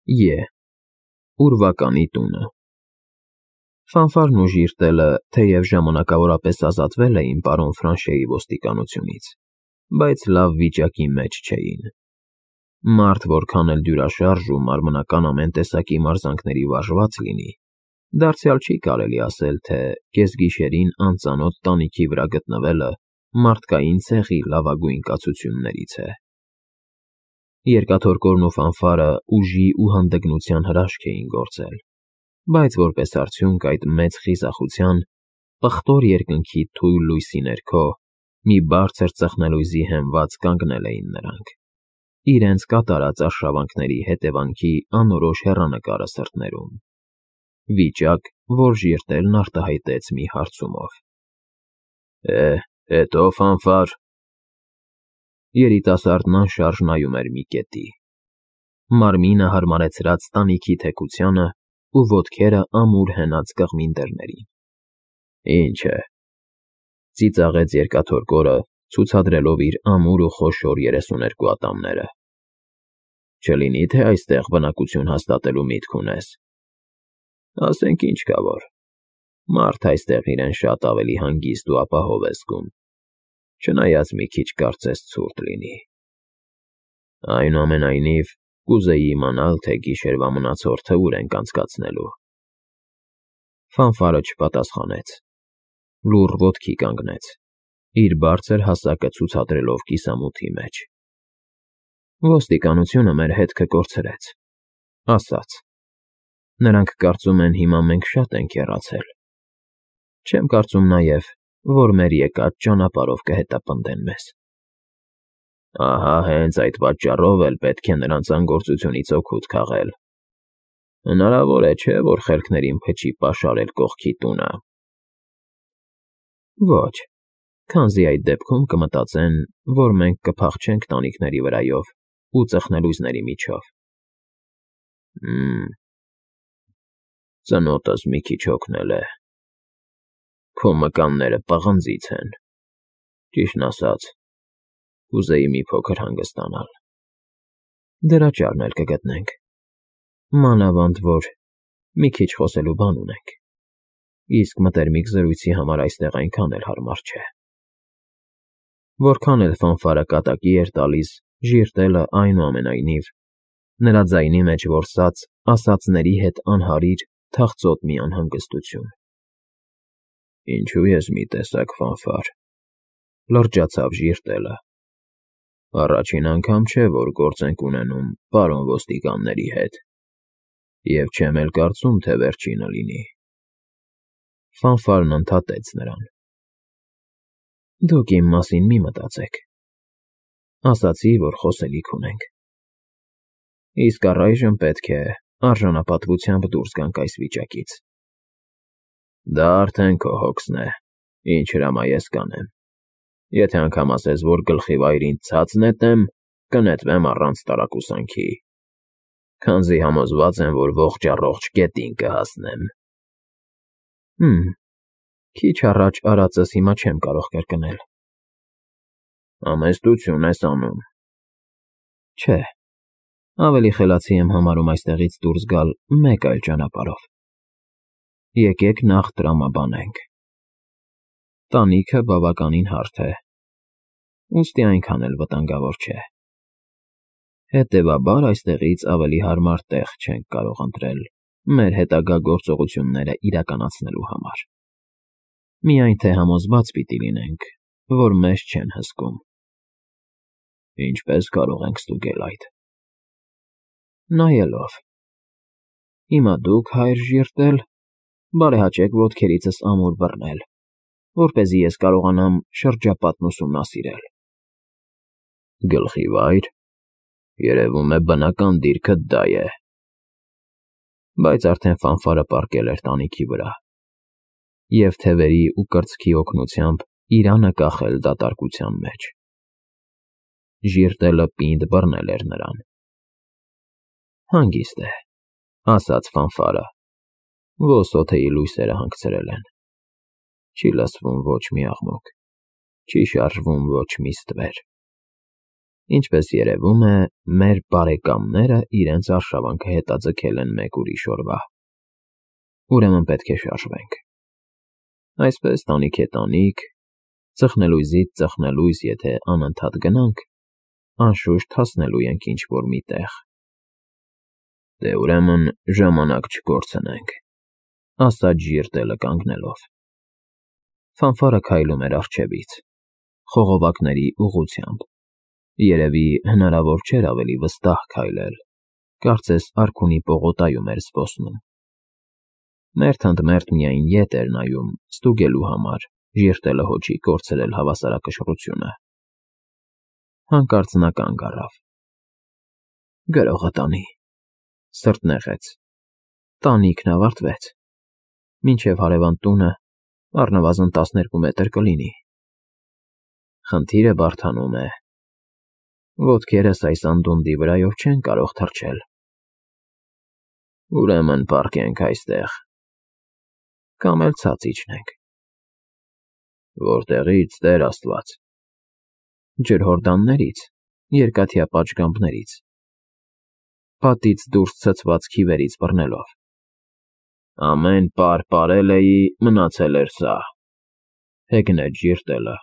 Ե. Ուրվականի տունը։ Ֆանֆարն ու Ժիրտելը, թեև ժամանակավորապես ազատվել էին պարոն Ֆրանշեի ոստիկանությունից, բայց լավ վիճակի մեջ չէին։ Մարդ որքան էլ դյուրաշարժ ու մարմնական ամեն տեսակի մարզանքների վարժված լինի, դարձյալ չի կարելի ասել, թե կեսգիշերին անծանոթ տանիքի վրա գտնվելը մարդկային ցեղի լավագույն կացություններից է։ Երկաթորկորն ու Ֆանֆարը ուժի ու հանդգնության հրաշք էին գործել, բայց որպես արդյունք այդ մեծ խիզախության, պղտոր երկնքի թույլ լույսի ներքո մի բարձր ծխնելույզի հենված կանգնել էին նրանք, իրենց կատարած արշավանքների հետևանքի անորոշ հեռանկարը սրտներում։ Վիճակ, որ Ժիրտելն արտահայտեց մի հարցումով։ Հետո Ֆանֆար։ Երիտասարդն անշարժ նայում էր մի կետի։ Մարմինը հարմարեցրած տանիքի թեքությանը ու ոտքերը ամուր հենած կղմին դռներին։ Ինչ է, ծիծաղեց երկաթորկորը, ցուցադրելով իր ամուր ու խոշոր 32 ատամները։ Չլինի թե այստեղ բնակություն հաստատելու միտք ունես։ Ասենք ինչ կա որ, մարդ այստեղ իրեն շատ ավելի հանգիստ ու ապահով է զգում, չնայած մի քիչ կարծես ցուրտ լինի։ Այնուամենայնիվ, կուզեի իմանալ, թե գիշերվա մնացորդը ուր ենք անցկացնելու։ Ֆանֆարը չպատասխանեց, լուռ ոտքի կանգնեց, իր բարձր հասակը ցուցադրելով կիսամութի մեջ։ Ոստիկանությունը մեր հետքը կորցրեց, ասաց։ Նրանք կարծում են հիմա մենք շատ ենք հեռացել։ Չեմ կարծում նաև, որ մեր եկած ճանապարհով կհետապնդեն մեզ։ Ահա հենց այդ պատճառով էլ պետք է նրանց անգործությունից օգուտ քաղել։ Հնարավոր է, չէ, որ խելքներին փչի պաշարել կողքի տունը։ Ոչ, քանզի այդ դեպքում կմտածեն, որ մենք կփախչենք տանիքների վրայով ու ծխնելույզների միջով։ Ծնոտս մի քիչ հոգնել է։ Քո մկանները պղնձից են։ Ճիշտն ասած, կուզեի մի փոքր հանգստանալ։ Դրա ճարն էլ կգտնենք։ Մանավանդ որ մի քիչ խոսելու բան ունենք։ Իսկ մտերմիկ զրույցի համար այստեղ այնքան էլ հարմար չէ։ Որքան էլ Ֆանֆարը կատակի էր տալիս, Ժիրտելը այնուամենայնիվ, նրա ձայնի մեջ որսաց ասածների հետ անհարիր, թախծոտ մի անհանգստություն։ Ինչու ես մի տեսակ Ֆանֆար, լրջացավ Ժիրտելը։ Առաջին անգամ չէ, որ գործ ենք ունենում պարոն ոստիկանների հետ, և չեմ էլ կարծում, թե վերջինը լինի։ Ֆանֆարն ընդհատեց նրան։ Դուք իմ մասին մի մտածեք։ Ասացի, որ խոսելիք ունենք։ Իսկ առայժմ պետք է արժանապատվությամբ դուրս գանք այս վիճակից։ Դա արդեն քո հոգսն է, ինչ հրամայես կանեմ։ Եթե անգամ ասես, որ գլխի վայրին ցած նետեմ, կնետվեմ առանց տարակուսանքի, քանզի համոզված եմ, որ ողջ գետին կհասնեմ։ Քիչ առաջ արածս հիմա չեմ կարող կրկնել։ Համեստություն ես անում։ Չէ, ավելի խելացի եմ համարում այստեղից դուրս գալ մեկ այլ ճանապարհով։ Եկեք նախ տրամաբանենք։ Տանիքը բավականին հարթ է, ուստի այնքան էլ վտանգավոր չէ։ Հետևաբար այստեղից ավելի հարմար տեղ չենք կարող ընտրել մեր հետագա գործողությունները իրականացնելու համար։ Միայն թե համոզված պիտի լինենք, որ մեզ չեն հսկում։ Ինչպես կարող ենք ստուգել այդ։ Նայելով։ Հիմա դուք, հայր Ժիրտել, բարեհաճեք ոտքերիցս ամուր բռնել, որպեսզի ես կարողանամ շրջապատն ուսումնասիրել։ Գլխի վայր, երևում է բնական դիրքդ դա է։ Բայց արդեն Ֆանֆարը պառկել էր տանիքի վրա, և թևերի ու կրծքի օգնությամբ իրանը կախել դատարկության մեջ։ Ժիրտելը պինդ բռնել էր նրան։ Հանգիստ է, ասաց Ֆանֆարը, ոսոթեի լույսերը հանգցրել են։ Չի լսվում ոչ մի աղմուկ, չի շարժվում ոչ մի ստվեր։ Ինչպես երևում է, մեր բարեկամները իրենց արշավանքը հետաձգել են մեկ ուրիշ օրվա։ Ուրեմն պետք է շարժվենք։ Այսպես տանիք է տանիք, ծխնելույզից ծխնելույզ, եթե անընդհատ գնանք, անշուշտ հասնելու ենք ինչ-որ մի տեղ։ Դե ուրեմն ժամանակ չկորցնենք, ասաց Ժիրտելը կանգնելով։ Ֆանֆարը քայլում էր առջևից, խողովակների ուղղությամբ։ Երևի հնարավոր չէր ավելի վստահ քայլել, կարծես արքունի պողոտայում էր զբոսնում։ Մերթ ընդ մերթ միայն ետ էր նայում, ստուգելու համար, Ժիրտելը հոչի կորցրել հավասարակշռությունը։ Հանկարծ նա կանգ առավ։ Գրողը տանի, սրտնեղեց։ Տանիքն ավարտվեց։ Մինչև հարևան տունը առնվազն 12 մետր կլինի։ Խնդիրը բարդանում է։ Ոտքերս այս անդունդի վրայով չեն կարող թռչել։ Ուրեմն պառկենք այստեղ։ Կամ էլ ցած իջնենք։ Որտեղի՞ց, Տեր Աստված։ Ջրհորդաններից, երկաթյա պատշգամբներից, պատից դուրս ցցված քիվերից բռնելով։ Ամեն պար պարել էի, մնացել էր սա, հեգնեց Ժիրտելը։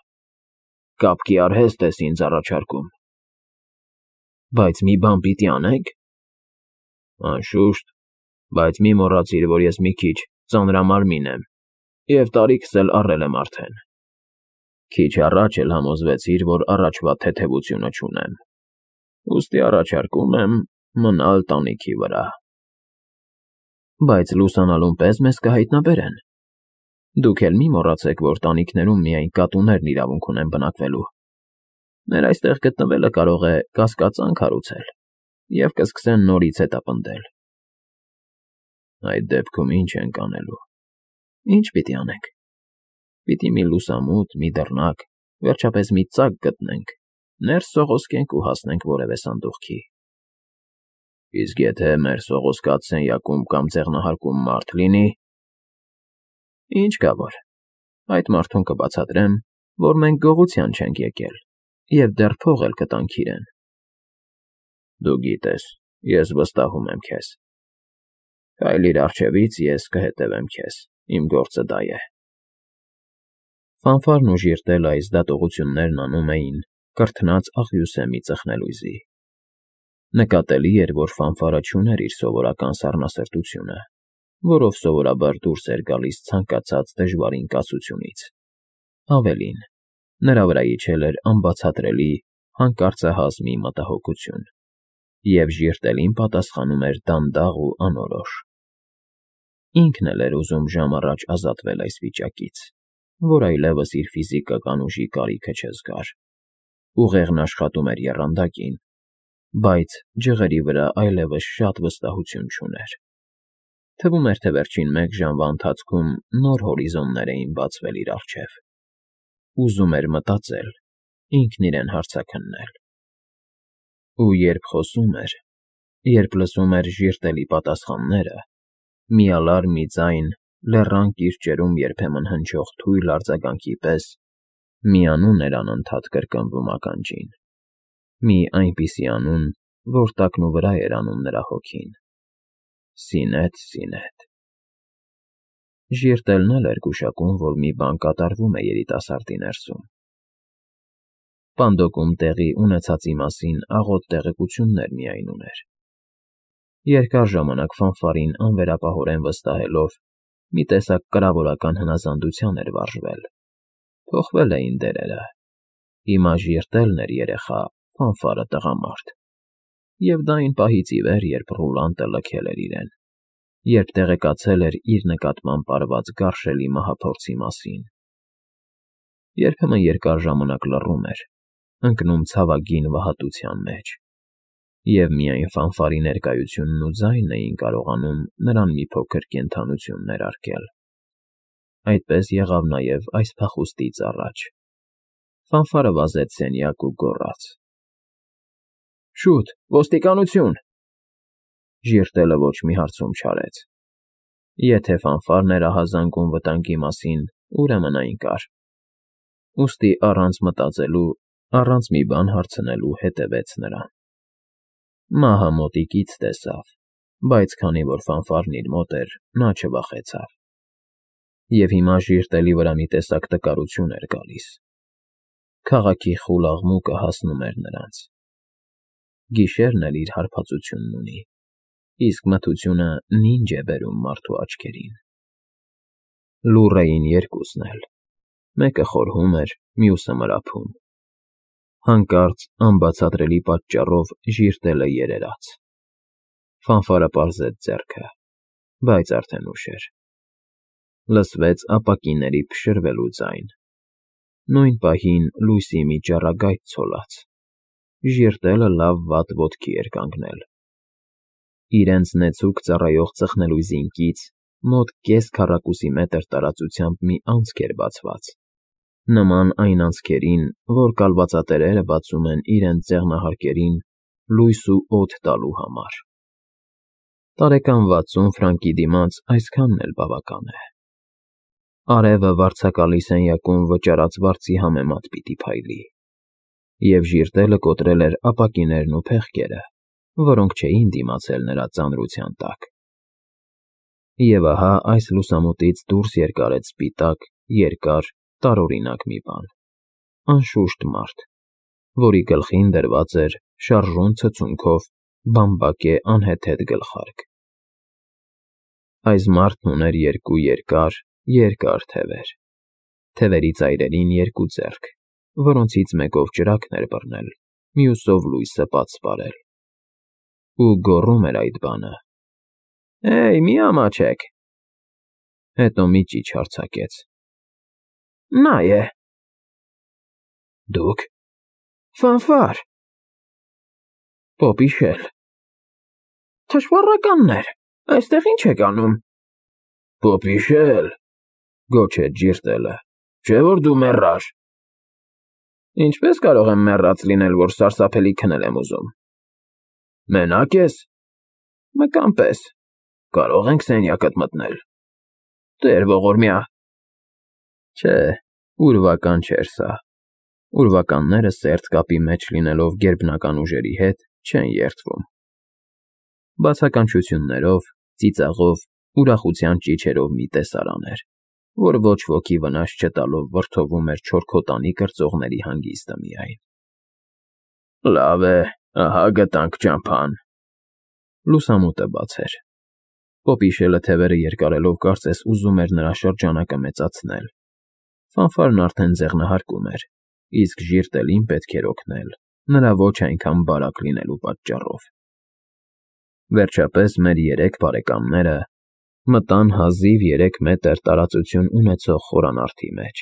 Կապկի արհեստ ես ինձ առաջարկում։ Բայց մի բան պիտի անենք։ Անշուշտ, բայց մի մոռացիր, որ ես մի քիչ ծանրամարմին եմ, և տարիքս էլ առել եմ արդեն։ Քիչ առաջ էլ համոզվեցիր, որ առաջվա թեթևությունը չունեմ, ուստի առաջարկում եմ մնալ տանիքի վրա։ Բայց լուսանալուն պես մեզ կհայտնաբերեն։ Դուք էլ մի մոռացեք, որ տանիքներում միայն կատուներն իրավունք ունեն բնակվելու։ Մեր այստեղ գտնվելը կարող է կասկածանք հարուցել, և կսկսեն նորից հետապնդել։ Այդ դեպքում ինչ ենք անելու։ Ինչ պիտի անենք։ Պիտի մի լուսամուտ, մի դռնակ, վերջապես մի ծակ գտնենք, ներս սողոսկենք ու հասնենք որևէ սանդուղքի։ Իսկ եթե մեր սողոսկած սենյակում կամ ձեղնահարկում մարդ լինի։ Ինչ կա որ, այդ մարդուն կբացատրեմ, որ մենք գողության չենք եկել, և դեռ փող էլ կտանք իրեն։ Դու գիտես, ես վստահում եմ քեզ։ Քայլիր առջևից, ես կհետևեմ քեզ, իմ գործը դա է։ Ֆանֆարն ու Ժիրտելը այս դատողություններն անում էին կրթնած աղյուսեմի ծխնելույզի։ Նկատելի էր, որ Ֆանֆարը չուներ իր սովորական սառնասրտությունը, որով սովորաբար դուրս էր գալիս ցանկացած դժվարին կացությունից։ Ավելին, նրա վրա իջել էր անբացատրելի հանկարծահաս մի մտահոգություն, և Ժիրտելին պատասխանում էր դանդաղ ու անորոշ։ Ինքն էլ էր ուզում ժամ առաջ ազատվել այս վիճակից, որ այլևս իր ֆիզիկական ուժի կարիքը չզգար։ Ուղեղն աշխատում էր եռանդակին, բայց ջղերի վրա այլևս շատ վստահություն չուներ։ Թվում էր, թե վերջին մեկ ժամվա ընթացքում նոր հորիզոններ էին բացվել իր առջև։ Ուզում էր մտածել, ինքն իրեն հարցաքննել։ Ու երբ խոսում էր, երբ լսում էր Ժիրտելի պատասխանները, միալար մի ձայն լեռան կիրճերում երբեմն հնչող թույլ արձագանքի պես, միանուն էր անընդհատ կրկնվում ականջին։ Մի այնպիսի անուն, որ տակնուվրա էր անում նրա հոգին։ Սինեթ, Սինեթ։ Ժիրտելն էլ էր գուշակում, որ մի բան կատարվում է երիտասարդի ներսում։ Պանդոկում տեղի ունեցածի մասին աղոտ տեղեկություններ միայն ուներ։ Երկար ժամանակ Ֆանֆարին անվերապահորեն վստահելով, մի տեսակ կրավորական հնազանդության էր վարժվել։ Փոխվել էին դերերը։ Հիմա Ժիրտելն էր երեխա, Ֆանֆարը տղամարդ։ Եվ դա այն պահից ի վեր, երբ Ռուլանտը լքել էր իրեն, երբ տեղեկացել էր իր նկատմամբ արված գարշելի մահափորձի մասին։ Երբեմն երկար ժամանակ լռում էր, ընկնում ցավագին վհատության մեջ, և միայն Ֆանֆարի ներկայությունն ու ձայնն էին կարողանում նրան մի փոքր կենդանություն ներարկել։ Այդպես եղավ նաև այս փախուստից առաջ։ Ֆանֆարը վազեց սենյակ ու գոռաց. Շուտ, ոստիկանություն։ Ժիրտելը ոչ մի հարցում չարեց։ Եթե Ֆանֆարն էր ահազանգում վտանգի մասին, ուրեմն այն կար։ Ուստի առանց մտածելու առանց մի բան հարցնելու հետևեց նրան։ Մահը մոտիկից տեսավ, բայց քանի որ ֆանֆարն իր մոտ էր, նա չվախեցավ։ Եվ հիմա ժիրտելի վրա մի տեսակ տկարություն էր գալիս։ Քաղաքի խուլ աղմուկը հասնում էր նրանց։ Գիշերն էլ իր հարբածությունն ունի, իսկ մթությունը նինջ է բերում մարդու աչքերին։ Լուռ էին երկուսն էլ, մեկը խորհում էր, մյուսը մրափում։ Հանկարծ անբացատրելի պատճառով ժիրտելը երերաց։ Ֆանֆարը պարզեց ձեռքը, բայց արդեն ուշ էր։ Լսվեց ապակիների փշրվելու ձայն։ Նույն պահին լույսի մի ճառագայթ ցոլաց։ Ժիրտելը լավ-վատ ոտքի էր կանգնել։ Իրենց նեցուկ ծառայող ծխնելույզինկից մոտ կես քառակուսի մետր տարածությամբ մի անցք էր բացված, նման այն անցքերին, որ կալվածատերերը բացում են իրենց ձեղնահարկերին լույս ու օդ տալու համար։ Տարեկան 60 ֆրանկի դիմաց այսքանն էլ բավական է։ Արևը վարձակալի սենյակում վճարած վարձի համեմատ պիտի փայլի, և ժիրտելը կոտրել էր ապակիներն ու փեղկերը, որոնք չէին դիմացել նրա ծանրության տակ։ Եվ ահա այս լուսամուտից դուրս երկարեց սպիտակ, երկար, տարօրինակ մի բան, անշուշտ մարդ, որի գլխին դրված էր շարժուն ցցունքով բամբակե անհեթեթ գլխարկ։ Այս մարդն ուներ երկու երկար թևեր, թևերի ծայրերին երկու ձեռք, որոնցից մեկով ճրագն էր բռնել, մյուսով լույսը պատսպարել։ Ու գոռում էր այդ բանը. «Հեյ, մի ամաչեք»։ Հետո մի ճիչ արձակեց. «Նա է»։ «Դուք»։ «Ֆանֆար»։ «Պոպիշել»։ «Թշվառականներ, այստեղ ի՞նչ եք անում»։ «Պոպիշել», գոչեց ժիրտելը, «չէ՞ որ դու մեռար»։ «Ինչպես կարող եմ մեռած լինել, որ սարսափելի քնել եմ ուզում»։ «Մենա՞կ ես»։ «Մկան պես»։ «Կարո՞ղ ենք սենյակդ մտնել»։ «Տեր ողորմյա»։ Չէ, ուրվական չէր սա։ Ուրվականները սերտ կապի մեջ լինելով գերբնական ուժերի հետ չեն երդվում։ Բացականչություններով, ծիծաղով, ուրախության ճիչերով մի տեսարան էր, որ ոչ ոքի վնաս չտալով վրդովում էր չորքոտանի կրծողների հանգիստը միայն։ «Լավ է, ահա գտանք ճամփան»։ Լուսամուտը բաց էր։ Պոպիշելը թևերը երկարելով կարծես ուզում էր նրա շրջանակը մեծացնել։ Ֆանֆարն արդեն ձեղնահարկում էր, իսկ ժիրտելին պետք էր օգնել, նրա ոչ այնքան բարակ լինելու պատճառով։ Վերջապես մեր երեք բարեկամները մտան հազիվ 3 մետր տարածություն ունեցող խորանարդի մեջ,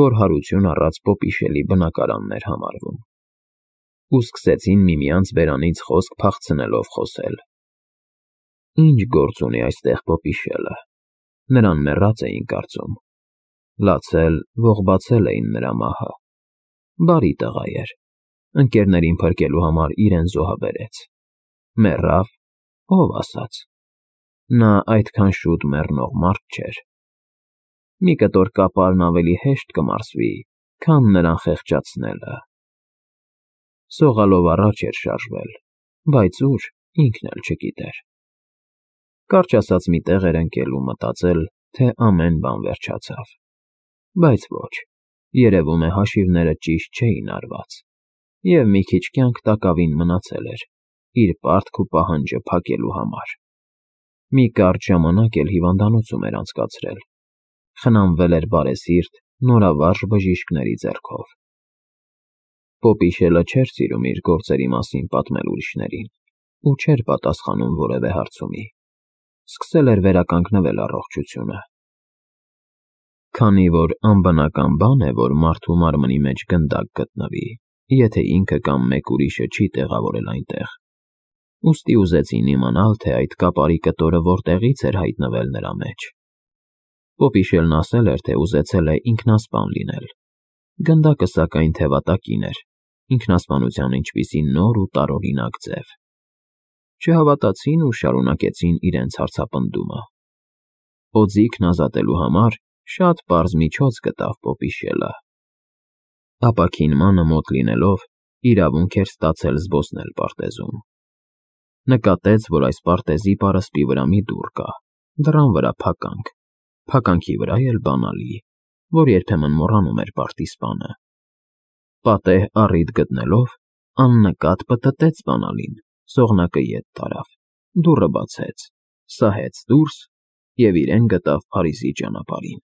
որ հարություն առած Պոպիշելի բնակարանն էր համարվում, ու սկսեցին միմյանց բերանից խոսք փախցնելով խոսել։ Ինչ գործ ունի այստեղ Պոպիշելը։ Նրան մեռած էին կարծում։ Լացել, ողբացել էին նրա մահը։ Բարի տղա էր։ Ընկերներին փրկելու համար իրեն զոհաբերեց։ Մեռավ, ով ասաց։ Նա այդքան շուտ մեռնող մարդ չէր։ Մի կտոր կապարն ավելի հեշտ կմարսվի, քան նրան խեղճացնելը։ Սողալով առաջ էր շարժվել, բայց ուր, ինքն էլ չգիտեր։ Կարճ ասած մի տեղ էր ընկել ու մտածել, թե ամեն բան վերջացավ։ Բայց ոչ, երևում է հաշիվները ճիշտ չէին արված, և մի քիչ կյանք տակավին մնացել էր, իր պարտք ու պահանջը փակելու համար։ Մի կարճ ժամանակ էլ հիվանդանոցում էր անցկացրել։ Խնամվել էր բարեսիրտ, նորավարժ բժիշկների ձեռքով։ Պոպիշելը չէր սիրում իր գործերի մասին պատմել ուրիշներին ու չէր պատասխանում որևէ հարցումի։ Սկսել էր վերականգնվել առողջությունը։ Քանի որ անբնական բան է, որ մարդու մարմնի մեջ գնդակ գտնվի, եթե ինքը կամ մեկ ուրիշը չի տեղավորել այնտեղ, ուստի ուզեցին իմանալ, թե այդ կապարի կտորը որտեղից էր հայտնվել նրա մեջ։ Պոպիշելն ասել էր, թե ուզեցել է ինքնասպան լինել։ Գնդակը սակայն թևատակին էր, ինքնասպանության ինչպիսի նոր ու տարօրինակ ձև։ Չհավատացին ու շարունակեցին իրենց հարցապնդումը։ Օձիքն ազատելու համար շատ պարզ միջոց գտավ Պոպիշելը։ Ապաքինմանը մոտ լինելով, իրավունք էր ստացել զբոսնել պարտեզում։ Նկատեց, որ այս պարտեզի պարսպի վրա մի դուռ կա, դռան վրա փականք, փականքի վրա էլ բանալի, որ երբեմն մոռանում էր պարտիզպանը։ Պատեհ առիթ գտնելով, աննկատ պտտեց բանալին, սողնակը ետ տարավ, դուռը բացեց, սահեց դուրս և իրեն գտավ Փարիզի ճանապարհին։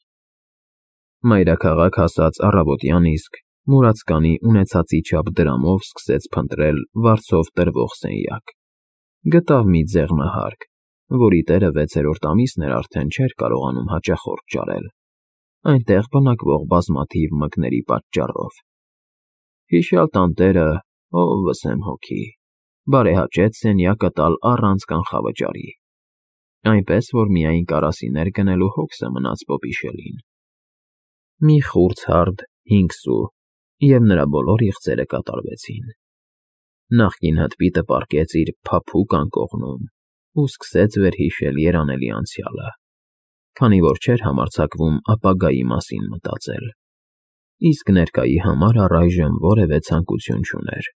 Մայրաքաղաք հասած առավոտյան իսկ մուրացկանի ունեցածի չափ դրամով սկսեց փնտրել վարձով տրվող սենյակ։ Գտավ մի ձեղնահարկ, որի տերը 6-րդ ամիսն էր արդեն չէր կարողանում հաճախորդ ճարել, այնտեղ բնակվող բազմաթիվ մկների պատճառով։ Հիշյալ տանտերը, ով վսեմ հոգի, բարեհաճեց սենյակը տալ առանց կանխավճարի, այնպես որ միայն կարասիներ գնելու հոգսը մնաց Պոպիշելին։ Մի խուրձ֊հարդ 5 սու, և նրա բոլոր իղձերը կատարվեցին։ Նախկին հտպիտը պառկեց իր փափուկ անկողնում ու սկսեց վերհիշել երանելի անցյալը, քանի որ չէր համարձակվում ապագայի մասին մտածել, իսկ ներկայի համար առայժմ որևէ ցանկություն չուներ,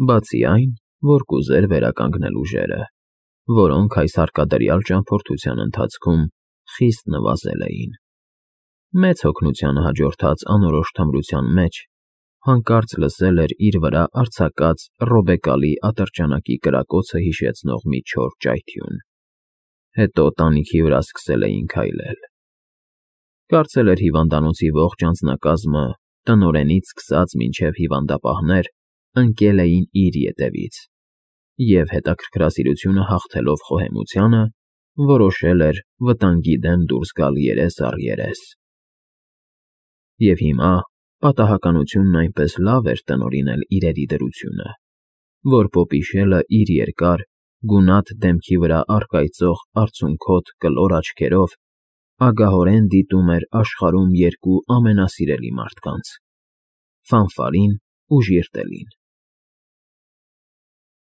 բացի այն, որ կուզեր վերականգնել ուժերը, որոնք այս հարկադրյալ ճամփորդության ընթացքում խիստ նվազել էին։ Մեծ հոգնությանը հաջորդած անորոշ թմրության մեջ հանկարծ լսել էր իր վրա արձակած ռոբեկալի ատրճանակի կրակոցը հիշեցնող մի չոր ճայթյուն։ Հետո տանիքի վրա սկսել էին քայլել։ Կարծել էր հիվանդանոցի ողջ անձնակազմը, տնօրենից սկսած մինչև հիվանդապահներ, ընկել էին իր ետևից, և հետաքրքրասիրությունը հաղթելով խոհեմությանը, որոշել էր վտանգի դեմ դուրս գալ երես առ երես։ Եվ հիմա պատահականությունն այնպես լավ էր տնօրինել իրերի դրությունը, որ Պոպիշելը իր երկար, գունատ դեմքի վրա առկայծող արցունքոտ կլոր աչքերով ագահորեն դիտում էր աշխարհում երկու ամենասիրելի մարդկանց՝ Ֆանֆարին ու Ժիրտելին։